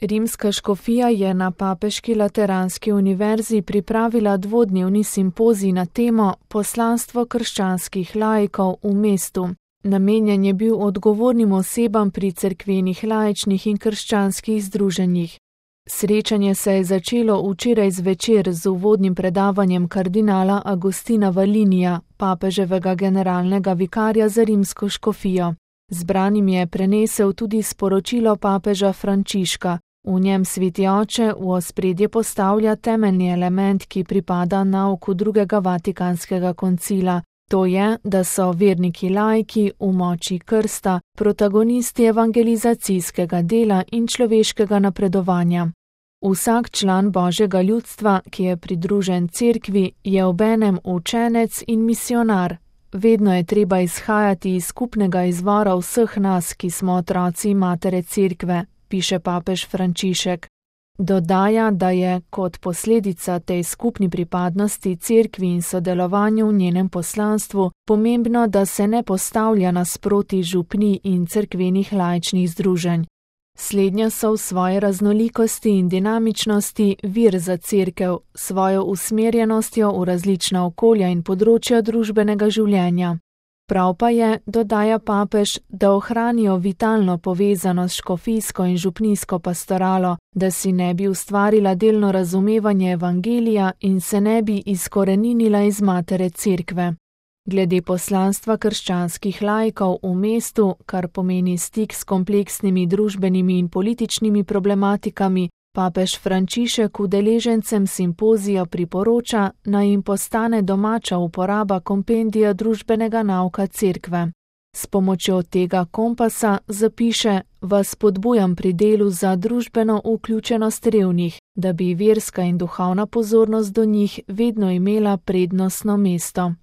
Rimska škofija je na Papeški lateranski univerzi pripravila dvodnevni simpozij na temo Poslanstvo krščanskih laikov v mestu. Namenjen je bil odgovornim osebam pri cerkvenih laičnih in krščanskih združenjih. Srečanje se je začelo včeraj zvečer z uvodnim predavanjem kardinala Agustina Valinija, papeževega generalnega vikarja za rimsko škofijo. Zbranim je prenesel tudi sporočilo papeža Frančiška. V njem Sveti oče v ospredje postavlja temeljni element, ki pripada nauku drugega vatikanskega koncila. To je, da so verniki laiki v moči krsta, protagonisti evangelizacijskega dela in človeškega napredovanja. Vsak član Božjega ljudstva, ki je pridružen cerkvi, je obenem učenec in misionar. Vedno je treba izhajati iz skupnega izvora vseh nas, ki smo otroci matere cerkve, piše papež Frančišek. Dodaja, da je kot posledica tej skupni pripadnosti cerkvi in sodelovanju v njenem poslanstvu pomembno, da se ne postavlja nasproti župnij in cerkvenih laičnih združenj. Slednja so v svoji raznolikosti in dinamičnosti vir za cerkev, svojo usmerjenostjo v različna okolja in področja družbenega življenja. Prav pa je, dodaja papež, da ohranijo vitalno povezanost s škofijsko in župnijsko pastoralo, da si ne bi ustvarila delno razumevanje evangelija in se ne bi izkoreninila iz matere cerkve. Glede poslanstva krščanskih laikov v mestu, kar pomeni stik s kompleksnimi družbenimi in političnimi problematikami, papež Frančišek udeležencem simpozija priporoča, naj jim postane domača uporaba kompendija družbenega nauka cerkve. S pomočjo tega kompasa, zapiše, vas spodbujam pri delu za družbeno vključenost revnih, da bi verska in duhovna pozornost do njih vedno imela prednostno mesto.